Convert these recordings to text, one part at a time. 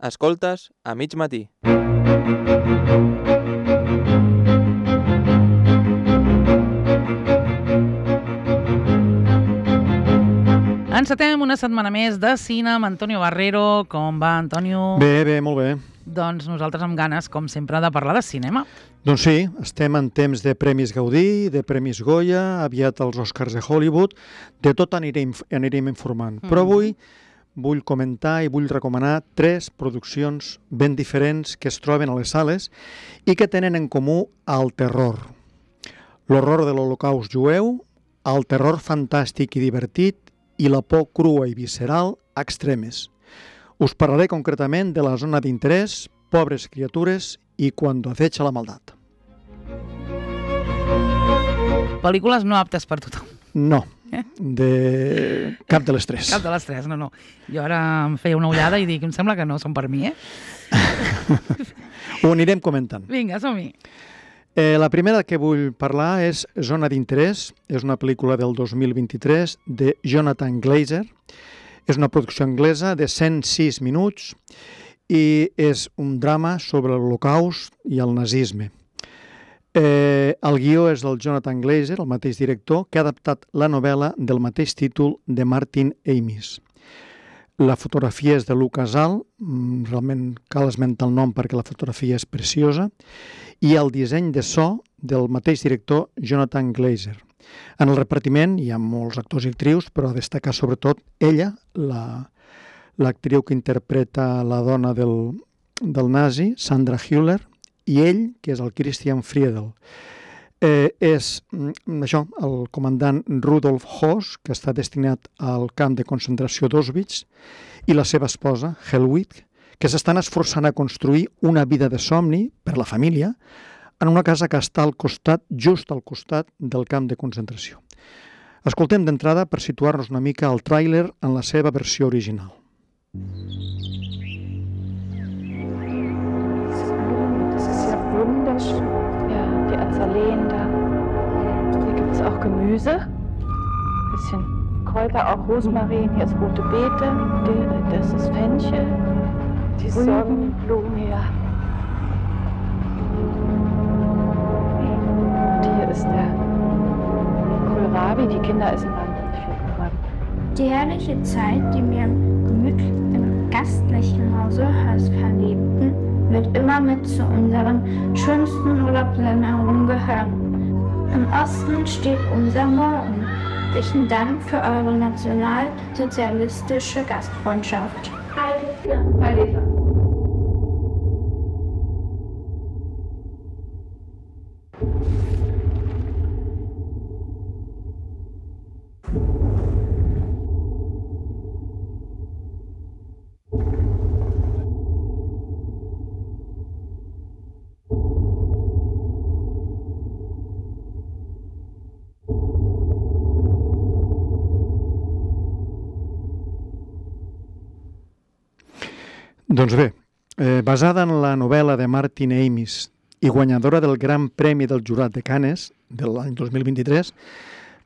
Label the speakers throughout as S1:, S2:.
S1: Escoltes a mig matí.
S2: Encetem una setmana més de cine amb Antonio Barrero. Com va, Antonio?
S3: Bé, molt bé.
S2: Doncs nosaltres amb ganes, com sempre, de parlar de cinema.
S3: Doncs sí, estem en temps de Premis Gaudí, de Premis Goya, aviat els Oscars de Hollywood, de tot anirem informant. Però avui vull comentar i vull recomanar 3 produccions ben diferents que es troben a les sales i que tenen en comú el terror. L'horror de l'Holocaust jueu, el terror fantàstic i divertit i la por crua i visceral extremes. Us parlaré concretament de la zona d'interès, Pobres criatures i Cuando acecha la maldad.
S2: Pel·lícules no aptes per tothom.
S3: No, de cap de les 3.
S2: Cap de les 3, no. Jo ara em feia una ullada i dic, em sembla que no són per mi,
S3: Ho anirem comentant.
S2: Vinga, som-hi.
S3: La primera que vull parlar és Zona d'interès. És una pel·lícula del 2023 de Jonathan Glazer. És una producció anglesa de 106 minuts i és un drama sobre l'Holocaust i el nazisme. El guió és del Jonathan Glazer, el mateix director, que ha adaptat la novel·la del mateix títol de Martin Amis. La fotografia és de Lucas All, realment cal esmentar el nom perquè la fotografia és preciosa, i el disseny de so del mateix director Jonathan Glazer. En el repartiment hi ha molts actors i actrius, però a destacar sobretot ella, l'actriu que interpreta la dona del nazi, Sandra Hüller, i ell, que és el Christian Friedel. És el comandant Rudolf Höss, que està destinat al camp de concentració d'Auschwitz, i la seva esposa, Helwig, que s'estan esforçant a construir una vida de somni per la família en una casa que està just al costat del camp de concentració. Escoltem d'entrada per situar-nos una mica el tràiler en la seva versió original.
S4: Das ist ja wunderschön. Ja, die Azaleen da. Hier gibt es auch Gemüse. Ein bisschen Kräuter, auch Rosmarin. Hier ist rote Beete. Das ist Fenchel. Die Sonnenblumen, ja. Und hier ist der Kohlrabi. Die Kinder essen wahnsinnig viel Kohlrabi.
S5: Die herrliche Zeit, die wir im gastlichen Hause Höss verlebten, wird immer mit zu unseren schönsten Urlaubsländern gehören. Im Osten steht unser Morgen. Herzlichen Dank für eure nationalsozialistische Gastfreundschaft. Heil Hitler.
S3: Doncs bé, basada en la novel·la de Martin Amis i guanyadora del Gran Premi del Jurat de Cannes de l'any 2023,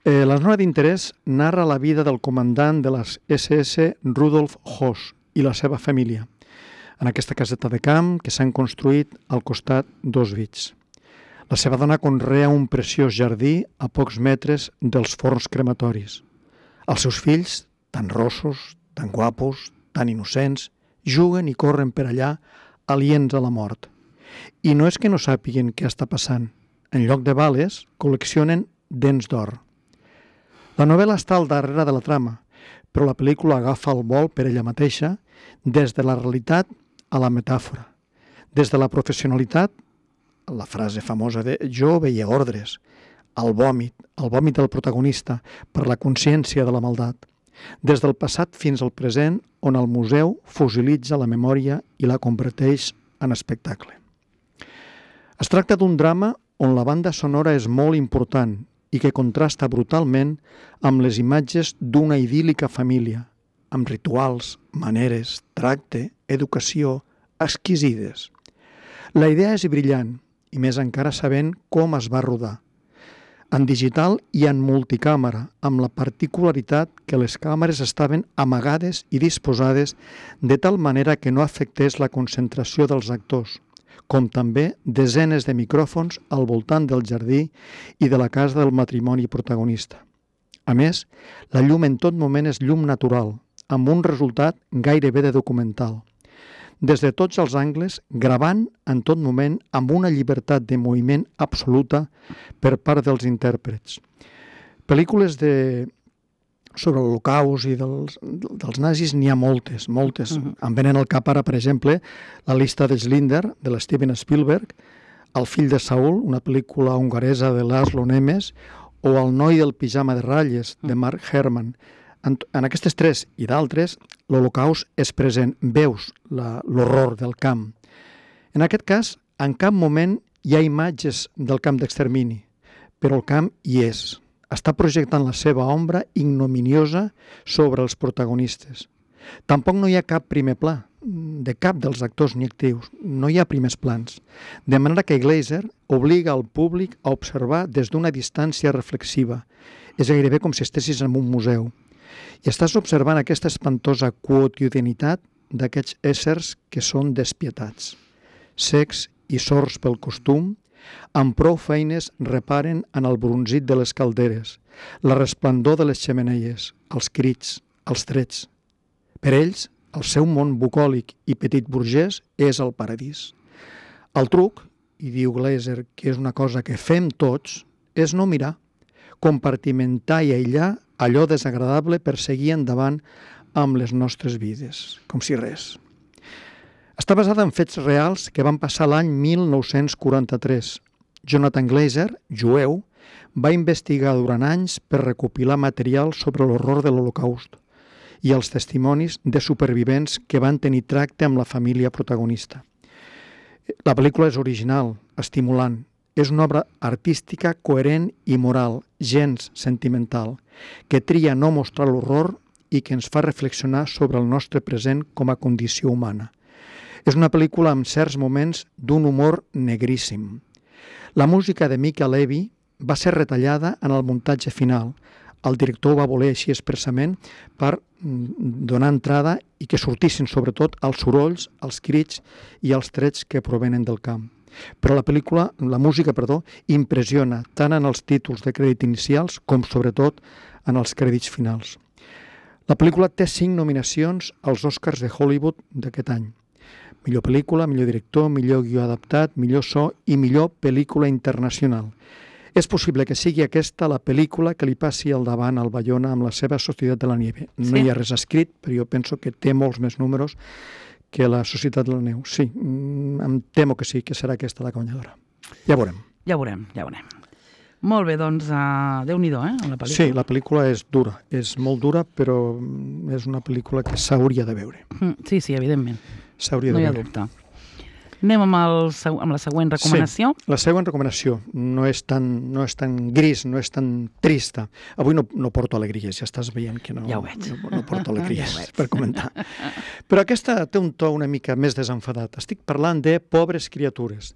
S3: la zona d'interès narra la vida del comandant de les SS Rudolf Höss i la seva família en aquesta caseta de camp que s'han construït al costat d'Auschwitz. La seva dona conrea un preciós jardí a pocs metres dels forns crematoris. Els seus fills, tan rossos, tan guapos, tan innocents, juguen i corren per allà, aliens a la mort. I no és que no sàpiguen què està passant. En lloc de bales, col·leccionen dents d'or. La novel·la està al darrere de la trama, però la pel·lícula agafa el vol per ella mateixa des de la realitat a la metàfora. Des de la professionalitat, la frase famosa de «jo veia ordres», el vòmit del protagonista per la consciència de la maldat. Des del passat fins al present, on el museu fosilitza la memòria i la converteix en espectacle. Es tracta d'un drama on la banda sonora és molt important i que contrasta brutalment amb les imatges d'una idíl·lica família, amb rituals, maneres, tracte, educació, exquisides. La idea és brillant, i més encara sabent com es va rodar. en digital i en multicàmera, amb la particularitat que les càmeres estaven amagades i disposades de tal manera que no afectés la concentració dels actors, com també desenes de micròfons al voltant del jardí i de la casa del matrimoni protagonista. A més, la llum en tot moment és llum natural, amb un resultat gairebé de documental. Des de tots els angles, gravant en tot moment amb una llibertat de moviment absoluta per part dels intèrprets. Pel·lícules sobre l'Holocaust i dels nazis n'hi ha moltes. Em venen al cap ara, per exemple, La llista de Schindler, de l'Steven Spielberg, El fill de Saul, una pel·lícula hongaresa de Laszlo Nemes, o El noi del pijama de ratlles, de Mark Herman. En aquestes tres i d'altres, l'Holocaust és present, veus l'horror del camp. En aquest cas, en cap moment hi ha imatges del camp d'extermini, però el camp hi és. Està projectant la seva ombra ignominiosa sobre els protagonistes. Tampoc no hi ha cap primer pla, de cap dels actors ni actrius. No hi ha primers plans. De manera que Glazer obliga al públic a observar des d'una distància reflexiva. És gairebé com si estessis en un museu. I estàs observant aquesta espantosa quotidianitat d'aquests éssers que són despietats. Cecs i sords pel costum, amb prou feines reparen en el bronzit de les calderes, la resplendor de les xemeneies, els crits, els trets. Per ells, el seu món bucòlic i petit burgès és el paradís. El truc, i diu Glazer que és una cosa que fem tots, és no mirar, compartimentar i aïllar allò desagradable per seguir endavant amb les nostres vides, com si res. Està basada en fets reals que van passar l'any 1943. Jonathan Glazer, jueu, va investigar durant anys per recopilar material sobre l'horror de l'Holocaust i els testimonis de supervivents que van tenir tracte amb la família protagonista. La pel·lícula és original, estimulant. És una obra artística coherent i moral, gens sentimental, que tria no mostrar l'horror i que ens fa reflexionar sobre el nostre present com a condició humana. És una pel·lícula amb certs moments d'un humor negríssim. La música de Mica Levi va ser retallada en el muntatge final. El director va voler així expressament per donar entrada i que sortissin sobretot els sorolls, els crits i els trets que provenen del camp. Però la música, impressiona tant en els títols de crèdit inicials com sobretot en els crèdits finals. La pel·lícula té 5 nominacions als Oscars de Hollywood d'aquest any. Millor pel·lícula, millor director, millor guió adaptat, millor so i millor pel·lícula internacional. És possible que sigui aquesta la pel·lícula que li passi al davant al Bayona amb la seva Societat de la Nieve. No hi ha res escrit, però jo penso que té molts més números que la Societat de la Neu. Sí, em temo que sí, que serà aquesta la guanyadora. Ja veurem.
S2: Ja veurem. Molt bé, doncs, Déu-n'hi-do, la pel·lícula.
S3: Sí, la pel·lícula és dura, és molt dura, però és una pel·lícula que s'hauria de veure.
S2: Sí, evidentment.
S3: S'hauria de veure.
S2: No hi ha dubte. Anem amb la següent recomanació.
S3: Sí, la següent recomanació no és tan gris, no és tan trista. Avui no porto alegries, ja estàs veient que no,
S2: ja ho veig.
S3: No porto alegries per comentar. Però aquesta té un to una mica més desenfadat. Estic parlant de Pobres criatures,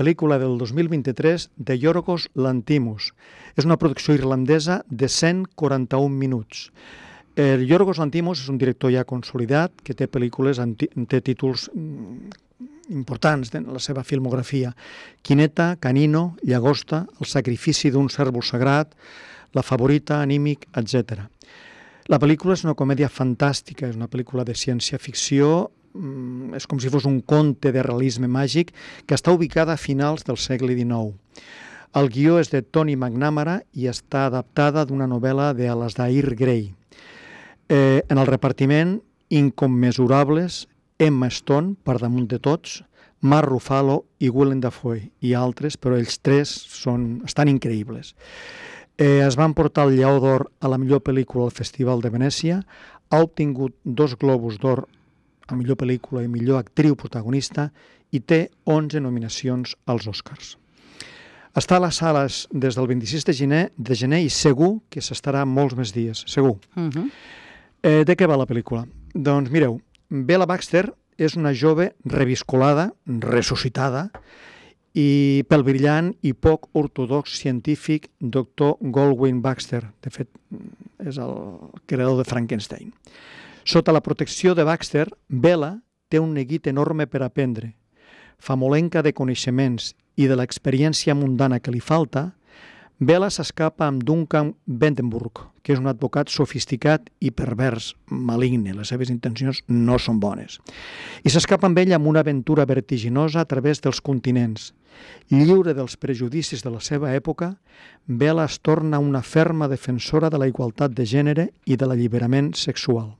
S3: pel·lícula del 2023 de Yorgos Lanthimos. És una producció irlandesa de 141 minuts. Yorgos Lanthimos és un director ja consolidat que té pel·lícules, té títols importants en la seva filmografia. Quineta, Canino, Llagosta, El sacrifici d'un cérvol sagrat, La favorita, Anímic, etc. La pel·lícula és una comèdia fantàstica, és una pel·lícula de ciència-ficció, és com si fos un conte de realisme màgic que està ubicada a finals del segle XIX. El guió és de Tony McNamara i està adaptada d'una novel·la d'Alasdair Gray. En el repartiment, incommensurables, Emma Stone, per damunt de tots, Mark Ruffalo i Willem Dafoe i altres, però ells tres estan increïbles. Es van portar el Lleó d'Or a la millor pel·lícula al Festival de Venècia, ha obtingut 2 Globus d'Or a millor pel·lícula i millor actriu protagonista i té 11 nominacions als Oscars. Està a les sales des del 26 de gener i segur que s'estarà molts més dies, segur. De què va la pel·lícula? Doncs mireu, Bella Baxter és una jove reviscolada, ressuscitada, i pel brillant i poc ortodox científic Dr. Goldwyn Baxter. De fet, és el creador de Frankenstein. Sota la protecció de Baxter, Bella té un neguit enorme per aprendre. Famolenca de coneixements i de l'experiència mundana que li falta, Bella s'escapa amb Duncan Vandenberg, que és un advocat sofisticat i pervers, maligne. Les seves intencions no són bones. I s'escapa amb ell amb una aventura vertiginosa a través dels continents. Lliure dels prejudicis de la seva època, Bella es torna una ferma defensora de la igualtat de gènere i de l'alliberament sexual.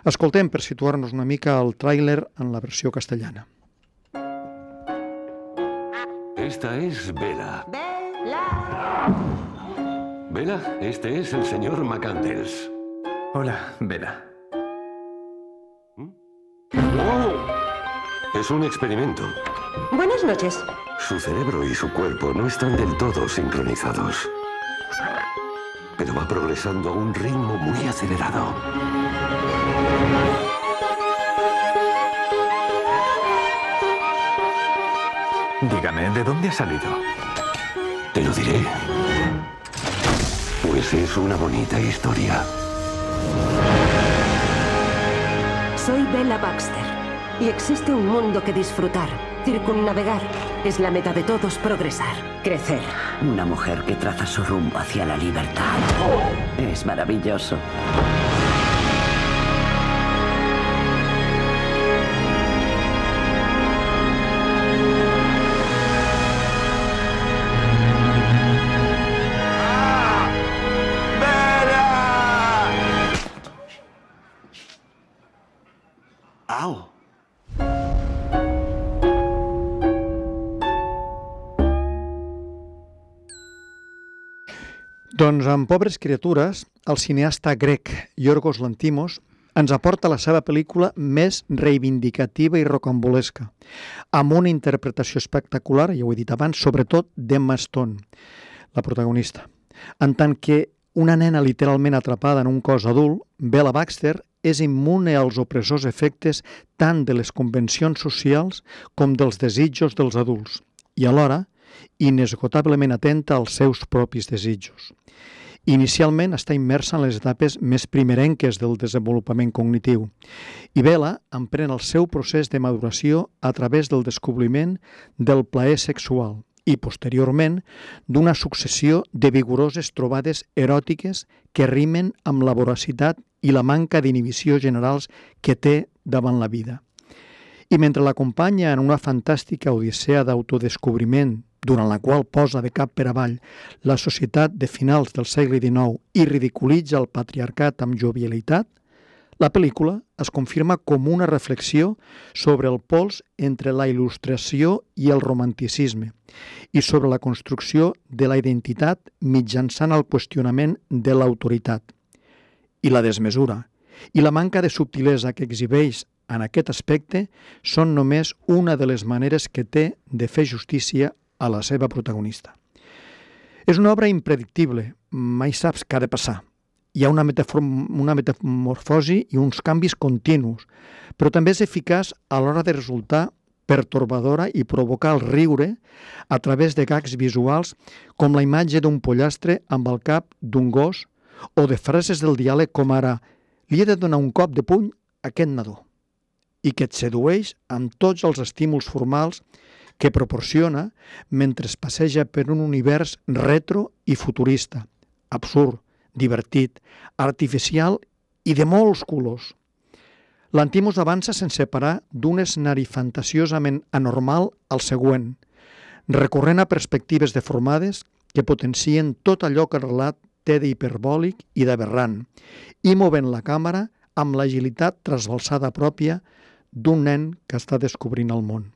S3: Escoltem, per situar-nos una mica, el tràiler en la versió castellana.
S6: Esta es Bella. Bella, este es el señor McCandles.
S7: Hola, Bella.
S6: ¡Oh! Es un experimento.
S8: Buenas noches.
S6: Su cerebro y su cuerpo no están del todo sincronizados. Pero va progresando a un ritmo muy acelerado.
S7: Dígame, ¿de dónde ha salido?
S6: Te lo diré. Pues es una bonita historia.
S8: Soy Bella Baxter y existe un mundo que disfrutar, circunnavegar. Es la meta de todos progresar, crecer. Una mujer que traza su rumbo hacia la libertad. Es maravilloso.
S6: ¡Au!
S3: Doncs amb Pobres criatures, el cineasta grec Yorgos Lanthimos ens aporta la seva pel·lícula més reivindicativa i rocambolesca, amb una interpretació espectacular, ja ho he dit abans, sobretot d'Emma Stone, la protagonista. En tant que una nena literalment atrapada en un cos adult, Bella Baxter és immune als opressors efectes tant de les convencions socials com dels desitjos dels adults i alhora inesgotablement atenta als seus propis desitjos. Inicialment està immersa en les etapes més primerenques del desenvolupament cognitiu i Bella emprèn el seu procés de maduració a través del descobriment del plaer sexual i, posteriorment, d'una successió de vigoroses trobades eròtiques que rimen amb la voracitat i la manca d'inhibició generals que té davant la vida. I mentre l'acompanya en una fantàstica odissea d'autodescobriment, durant la qual posa de cap per avall la societat de finals del segle XIX i ridiculitza el patriarcat amb jovialitat, la pel·lícula es confirma com una reflexió sobre el pols entre la il·lustració i el romanticisme i sobre la construcció de la identitat mitjançant el qüestionament de l'autoritat. I la desmesura i la manca de subtilesa que exhibeix en aquest aspecte són només una de les maneres que té de fer justícia a la seva protagonista. És una obra impredictible, mai saps què ha de passar. Hi ha una metamorfosi i uns canvis continus, però també és eficaç a l'hora de resultar pertorbadora i provocar el riure a través de gags visuals com la imatge d'un pollastre amb el cap d'un gos o de frases del diàleg com ara «li he de donar un cop de puny a aquest nadó» i que et sedueix amb tots els estímuls formals que proporciona mentre es passeja per un univers retro i futurista, absurd, divertit, artificial i de molts colors. Lanthimos avança sense parar d'un escenari fantasiosament anormal al següent, recorrent a perspectives deformades que potencien tot allò que el relat té d'hiperbòlic i d'aberrant, i movent la càmera amb l'agilitat trasbalsada pròpia d'un nen que està descobrint el món.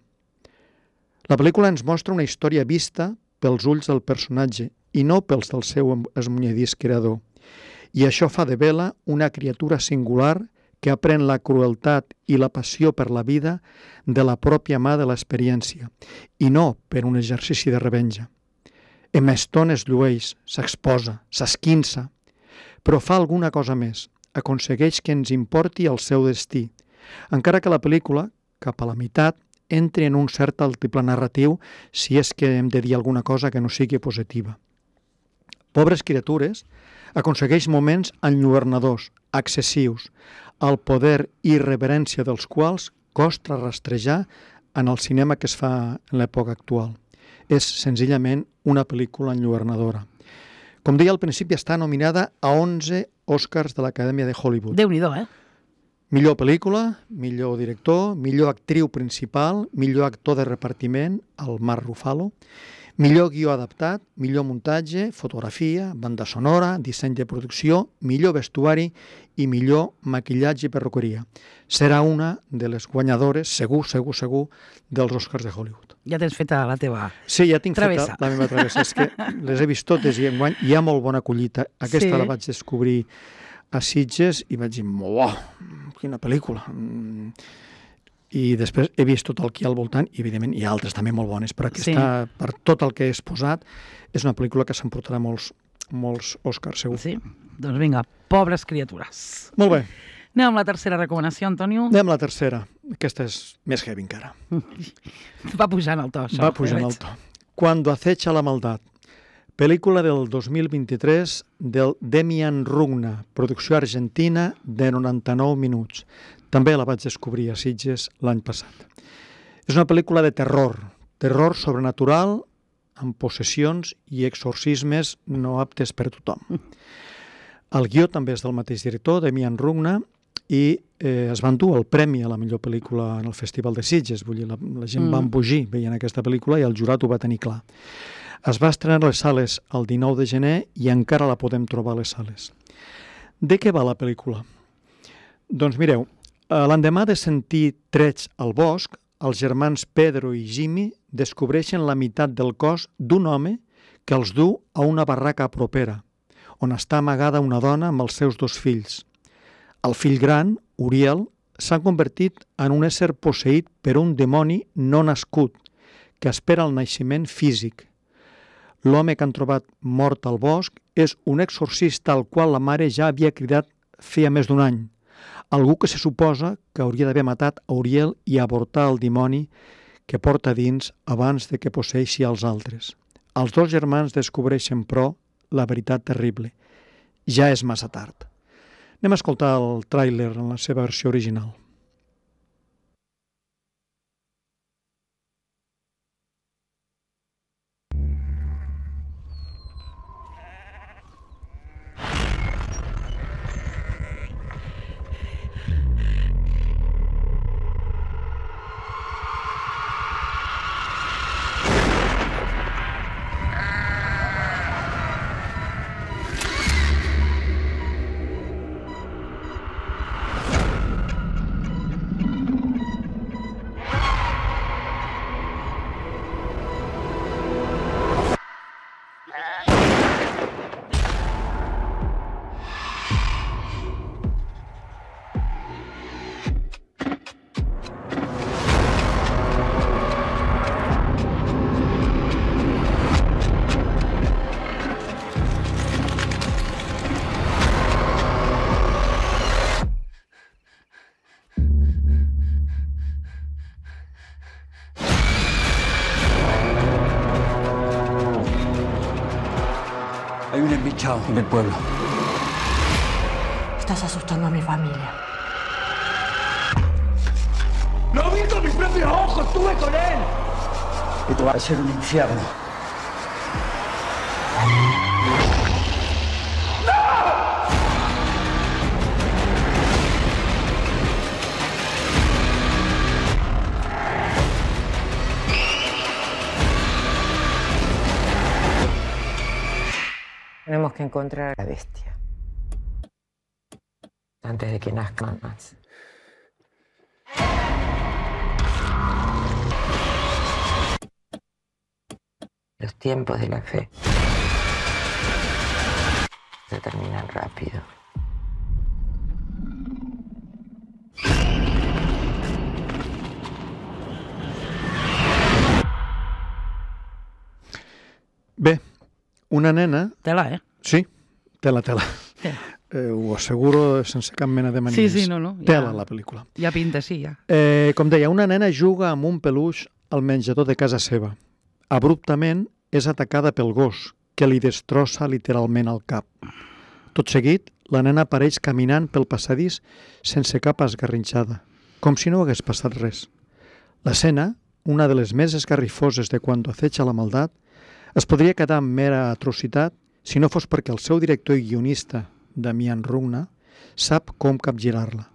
S3: La pel·lícula ens mostra una història vista pels ulls del personatge i no pels del seu esmunyedís creador. I això fa de Bella una criatura singular que aprèn la crueltat i la passió per la vida de la pròpia mà de l'experiència, i no per un exercici de revenja. Emma Stone es llueix, s'exposa, s'esquinça, però fa alguna cosa més, aconsegueix que ens importi el seu destí, encara que la pel·lícula, cap a la meitat, entri en un cert altiplà narratiu si és que hem de dir alguna cosa que no sigui positiva. Pobres criatures aconsegueix moments enlluernadors, excessius, el poder i irreverència dels quals costa rastrejar en el cinema que es fa en l'època actual. És senzillament una pel·lícula enlluernadora. Com deia al principi, està nominada a 11 Oscars de l'Acadèmia de Hollywood.
S2: Déu-n'hi-do,
S3: Millor pel·lícula, millor director, millor actriu principal, millor actor de repartiment, el Mark Ruffalo, millor guió adaptat, millor muntatge, fotografia, banda sonora, disseny de producció, millor vestuari i millor maquillatge i perruqueria. Serà una de les guanyadores, segur, dels Oscars de Hollywood.
S2: Ja tens feta la teva
S3: Sí, ja tinc
S2: travessa.
S3: feta la meva travessa. És que les he vist totes i enguany hi ha molt bona collita. Aquesta la vaig descobrir a Sitges i vaig dir, quina pel·lícula. I després he vist tot el que hi ha al voltant i, evidentment, hi ha altres també molt bones, però aquesta, per tot el que he exposat, és una pel·lícula que s'emportarà molts Oscars, segur.
S2: Sí? Doncs vinga, pobres criatures.
S3: Molt bé.
S2: Anem amb la tercera recomanació, Antonio.
S3: Anem a la tercera. Aquesta és més heavy encara.
S2: Va pujant el to, això.
S3: Va pujant el to. Cuando acecha la maldad. Pel·lícula del 2023 del Demian Rugna, producció argentina de 99 minuts. També la vaig descobrir a Sitges l'any passat. És una pel·lícula de terror sobrenatural, amb possessions i exorcismes no aptes per tothom. El guió també és del mateix director, Demian Rugna, i es van dur el premi a la millor pel·lícula en el Festival de Sitges. Vull dir, la gent va embogir veient aquesta pel·lícula i el jurat ho va tenir clar. Es va estrenar a les sales el 19 de gener i encara la podem trobar a les sales. De què va la pel·lícula? Doncs mireu, l'endemà de sentir trets al bosc, els germans Pedro i Jimmy descobreixen la meitat del cos d'un home que els du a una barraca propera, on està amagada una dona amb els seus 2 fills. El fill gran, Uriel, s'ha convertit en un ésser posseït per un dimoni no nascut, que espera el naixement físic. L'home que han trobat mort al bosc és un exorcista al qual la mare ja havia cridat feia més d'un any. Algú que se suposa que hauria d'haver matat a Uriel i avortar el dimoni que porta dins abans de que posseeixi els altres. Els 2 germans descobreixen, però, la veritat terrible. Ja és massa tard. Anem a escoltar el tràiler en la seva versió original.
S9: Hay un embichado en el pueblo.
S10: Estás asustando a mi familia.
S9: ¡Lo vi con mis propios ojos! ¡Estuve con él! Esto va a ser un infierno.
S10: Tenemos que encontrar a la bestia antes de que nazcan más. Los tiempos de la fe se terminan rápido.
S3: Bé, una nena...
S2: Tela,
S3: Sí, tela. ho asseguro sense cap mena de manies.
S2: Sí, no.
S3: Tela, la pel·lícula.
S2: Ja pinta, sí, ja.
S3: Com deia, una nena juga amb un peluix al menjador de casa seva. Abruptament és atacada pel gos, que li destrossa literalment el cap. Tot seguit, la nena apareix caminant pel passadís sense cap esgarrinxada, com si no hagués passat res. L'escena, una de les més esgarrifoses de quan acecha la maldat, es podria quedar en mera atrocitat si no fos perquè el seu director i guionista, Damian Rugna, sap com capgirar-la.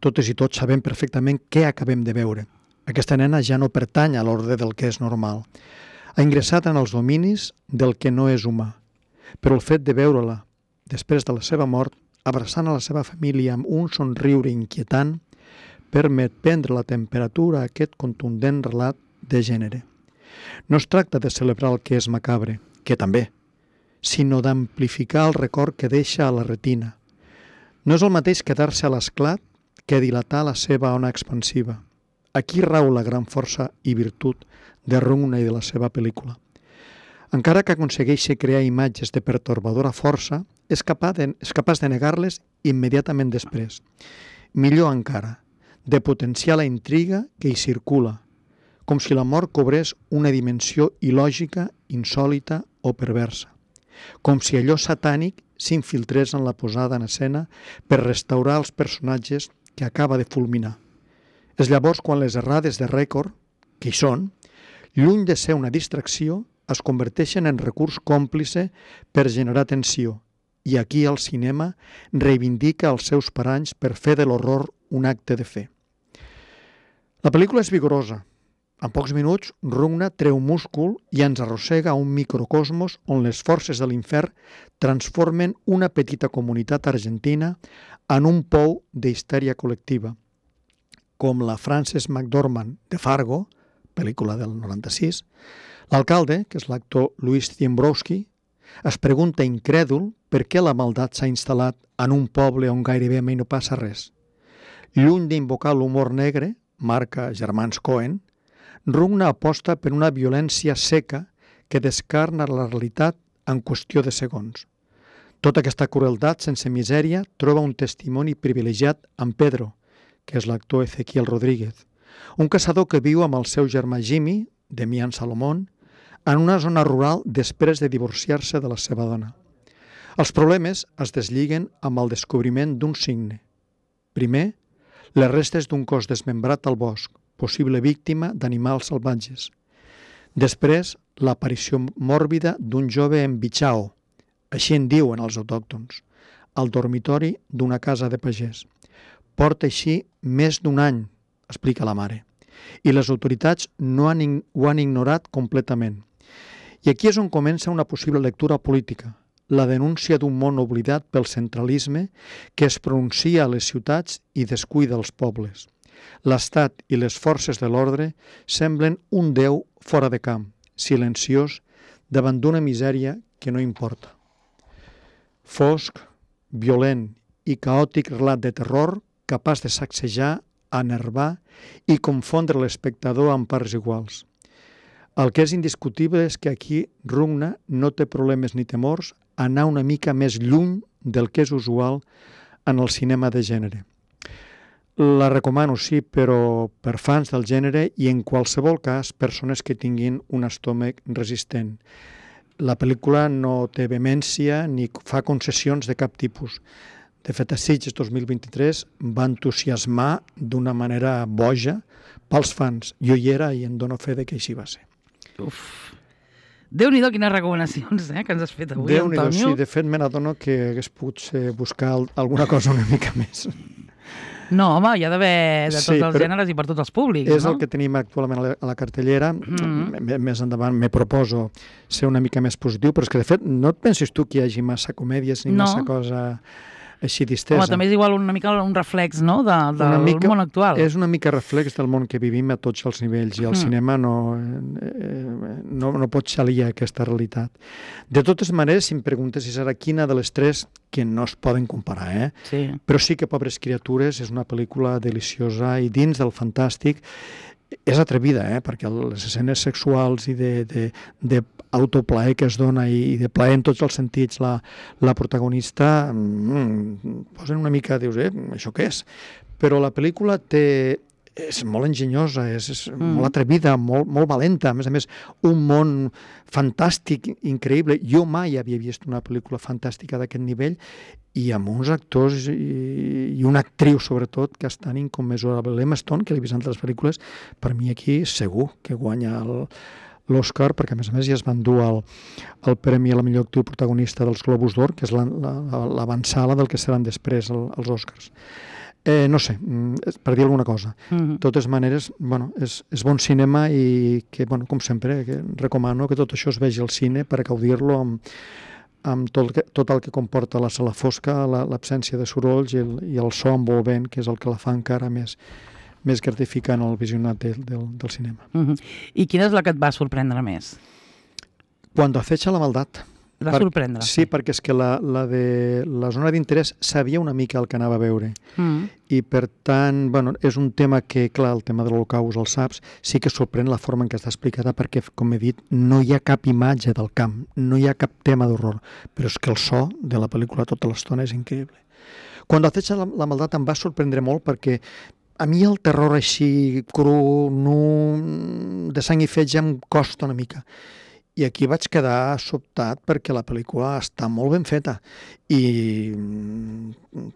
S3: Totes i tots sabem perfectament què acabem de veure. Aquesta nena ja no pertany a l'ordre del que és normal. Ha ingressat en els dominis del que no és humà. Però el fet de veure-la, després de la seva mort, abraçant a la seva família amb un somriure inquietant, permet prendre la temperatura a aquest contundent relat de gènere. No es tracta de celebrar el que és macabre, que també, sinó d'amplificar el record que deixa a la retina. No és el mateix quedar-se a l'esclat que dilatar la seva ona expansiva. Aquí rau la gran força i virtut de Rugna i de la seva pel·lícula. Encara que aconsegueixi crear imatges de pertorbadora força, és capaç de negar-les immediatament després. Millor encara, de potenciar la intriga que hi circula, com si la mort cobrés una dimensió il·lògica, insòlita o perversa. Com si allò satànic s'infiltrés en la posada en escena per restaurar els personatges que acaba de fulminar. És llavors quan les errades de rècord, que hi són, lluny de ser una distracció, es converteixen en recurs còmplice per generar tensió, i aquí el cinema reivindica els seus paranys per fer de l'horror un acte de fe. La pel·lícula és vigorosa. En pocs minuts, Rugna treu múscul i ens arrossega a un microcosmos on les forces de l'infern transformen una petita comunitat argentina en un pou d'histèria col·lectiva. Com la Frances McDormand de Fargo, pel·lícula del 96, l'alcalde, que és l'actor Louis Ziembrowski, es pregunta incrèdul per què la maldat s'ha instal·lat en un poble on gairebé mai no passa res. Lluny d'invocar l'humor negre, marca Germans Cohen, Rugna aposta per una violència seca que descarna la realitat en qüestió de segons. Tota aquesta crueltat sense misèria troba un testimoni privilegiat en Pedro, que és l'actor Ezequiel Rodríguez, un caçador que viu amb el seu germà Jimmy, Demian Salomón, en una zona rural després de divorciar-se de la seva dona. Els problemes es deslliguen amb el descobriment d'un signe. Primer, les restes d'un cos desmembrat al bosc, possible víctima d'animals salvatges. Després, l'aparició mòrbida d'un jove embitxao, així en diuen els autòctons, al dormitori d'una casa de pagès. Porta així més d'un any, explica la mare, i les autoritats ho han ignorat completament. I aquí és on comença una possible lectura política, la denúncia d'un món oblidat pel centralisme que es pronuncia a les ciutats i descuida els pobles. L'Estat i les forces de l'ordre semblen un déu fora de camp, silenciós, davant d'una misèria que no importa. Fosc, violent i caòtic relat de terror capaç de sacsejar, enervar i confondre l'espectador en parts iguals. El que és indiscutible és que aquí Rugna no té problemes ni temors a anar una mica més lluny del que és usual en el cinema de gènere. La recomano, sí, però per fans del gènere i en qualsevol cas persones que tinguin un estómac resistent. La pel·lícula no té vehemència ni fa concessions de cap tipus. De fet, a Sitges 2023 va entusiasmar d'una manera boja pels fans. Jo hi era i en dono fe de que així va ser.
S2: Uf. Déu-n'hi-do quines recomanacions que ens has fet avui,
S3: Déu-n'hi-do,
S2: Antonio.
S3: sí. De fet, me n'adono que hagués pogut buscar alguna cosa una mica més.
S2: No, home, hi ha d'haver de tots
S3: Sí,
S2: els
S3: però
S2: gèneres i per tots els públics,
S3: És
S2: no?
S3: el que tenim actualment a la cartellera. Més endavant me proposo ser una mica més positiu, però és que, de fet, no et pensis tu que hi hagi massa comèdies ni
S2: No.
S3: massa cosa així distesa.
S2: Home, també és igual una mica un reflex, no?, del món actual.
S3: És una mica reflex del món que vivim a tots els nivells i el cinema no pot xalir aquesta realitat. De totes maneres, si em preguntes si serà quina de les tres, que no es poden comparar,
S2: Sí.
S3: però sí que Pobres criatures és una pel·lícula deliciosa i dins del fantàstic És atrevida, perquè les escenes sexuals i d'autoplaer que es dona i de plaer en tots els sentits la protagonista posen una mica, dius, això què és? Però la pel·lícula és molt enginyosa, és molt atrevida, molt valenta, a més, un món fantàstic, increïble. Jo mai havia vist una pel·lícula fantàstica d'aquest nivell i amb uns actors i una actriu, sobretot, que estan incommensurables. L'Emma Stone, que l'he vist en altres pel·lícules, per mi aquí segur que guanya l'Oscar, perquè a més ja es van dur el premi a la millor actriu protagonista dels Globus d'Or, que és l'avançala del que seran després els Oscars. No sé, per dir alguna cosa. De totes maneres, és bon cinema i que, com sempre, recomano que tot això es vegi al cine per gaudir-lo amb tot el que comporta la sala fosca, l'absència de sorolls i el so envolvent, que és el que la fa encara més gratificant el visionat del cinema.
S2: I quina és la que et va sorprendre més?
S3: Cuando acecha la maldad.
S2: Et va sorprendre?
S3: Sí, perquè és que la de la zona d'interès sabia una mica el que anava a veure. I per tant, és un tema que, clar, el tema de l'Holocaust, el saps, sí que sorprèn la forma en què està explicada perquè, com he dit, no hi ha cap imatge del camp, no hi ha cap tema d'horror, però és que el so de la pel·lícula tota l'estona és increïble. Quan acecha la maldad em va sorprendre molt perquè a mi el terror així cru, nu, de sang i fetge em costa una mica. I aquí vaig quedar sobtat perquè la pel·lícula està molt ben feta i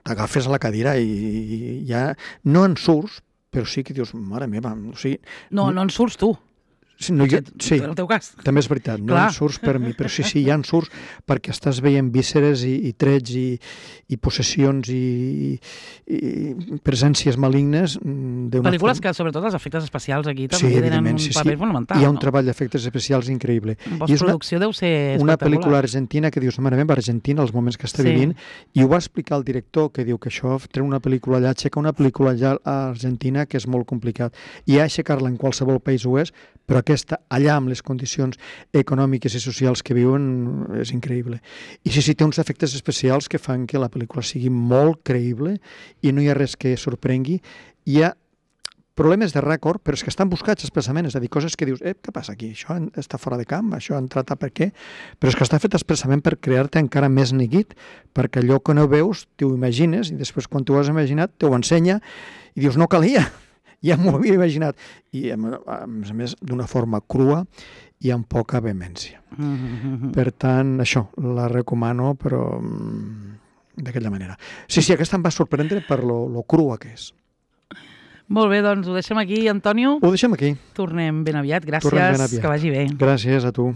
S3: t'agafes a la cadira i ja no en surts, però sí que dius, mare meva, o sigui...
S2: No en surts tu.
S3: Sí,
S2: en el teu cas.
S3: També és veritat, no en surts per mi, però sí, ja en surts perquè estàs veient vísceres i trets i possessions i presències malignes.
S2: Pel·lícules que, sobretot, els efectes especials aquí també tenen un paper fonamental.
S3: Hi ha un treball d'efectes especials increïble.
S2: En postproducció deu ser espectacular.
S3: Una pel·lícula argentina que dius, mare meva, Argentina, els moments que està vivint, i ho va explicar el director, que diu que això, treure una pel·lícula allà, aixecar una pel·lícula allà a Argentina, que és molt complicat. I aixecar-la en qualsevol país ho és, però aquesta, allà amb les condicions econòmiques i socials que viuen, és increïble. I sí, té uns efectes especials que fan que la pel·lícula sigui molt creïble i no hi ha res que sorprengui. Hi ha problemes de rècord, però és que estan buscats expressament, és a dir, coses que dius, què passa aquí? Això està fora de camp, això ha entrat a per què? Però és que està fet expressament per crear-te encara més neguit, perquè allò que no veus t'ho imagines i després quan t'ho has imaginat t'ho ensenya i dius, no calia. Ja m'ho havia imaginat. I, a més, d'una forma crua i amb poca vehemència. Per tant, això, la recomano, però d'aquella manera. Sí, aquesta em va sorprendre per lo crua que és.
S2: Molt bé, doncs ho deixem aquí, Antonio.
S3: Ho deixem aquí.
S2: Tornem ben aviat. Gràcies, que vagi bé.
S3: Gràcies a tu.